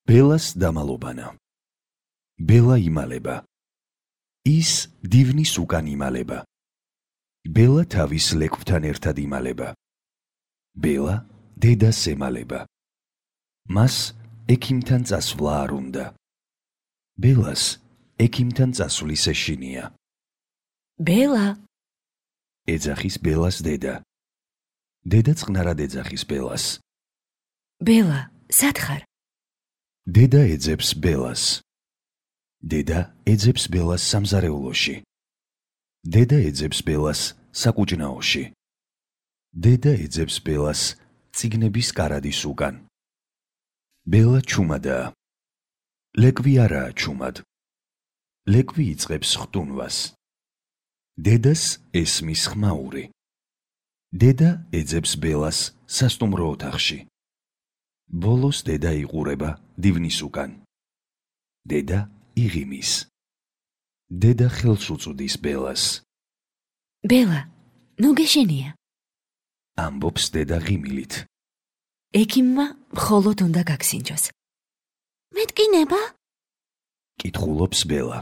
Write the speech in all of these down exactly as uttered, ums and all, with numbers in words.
ბელას დამალობანა. ბელა იმალება. ის დივნის უკან იმალება. ბელა თავის ლეკვთან ერთად იმალება. ბელა დედას ემალება. მას ექიმთან წასვლა არ უნდა. ბელას ექიმთან წასვლის ეშინია. ბელა ეძახის ბელას დედა. დედა წყნარად ეძახის ბელას. ბელა სად ხარ? დედა ეძებს ბელას. დედა ეძებს ბელას სამზარეულოში. დედა ეძებს ბელას საკუჭნაოში. დედა ეძებს ბელას წიგნების კარადის უკან. ბელა ჩუმადაა. ლეკვი არაა ჩუმად. ლეკვი იწყებს ხტუნვას. დედას ესმის ხმაური. დედა ეძებს ბელას სასტუმრო ოთახში. ბოლოს დედა იყურება დივნის უკან. დედა იღიმის. დედა ხელს უწვდის ბელას. ბელა, ნუ გეშენია. ამბობს დედა ღიმილით. ექიმმა მხოლოდ უნდა გაგსინჯოს. მეტკინება? კითხულობს ბელა.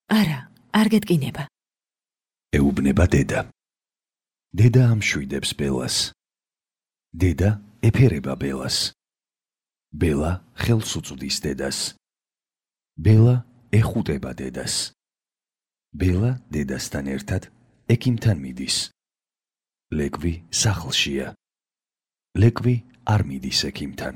არა, არ გეტკინება. ეუბნება დედა. დედა ამშვიდებს ბელას. დედა ეფერება ბელას. ბელა ხელს უწვდის დედას. ბელა ეხუტება დედას. ბელა დედასთან ერთად ექიმთან მიდის. ლეკვი სახლშია. ლეკვი არ მიდის ექიმთან.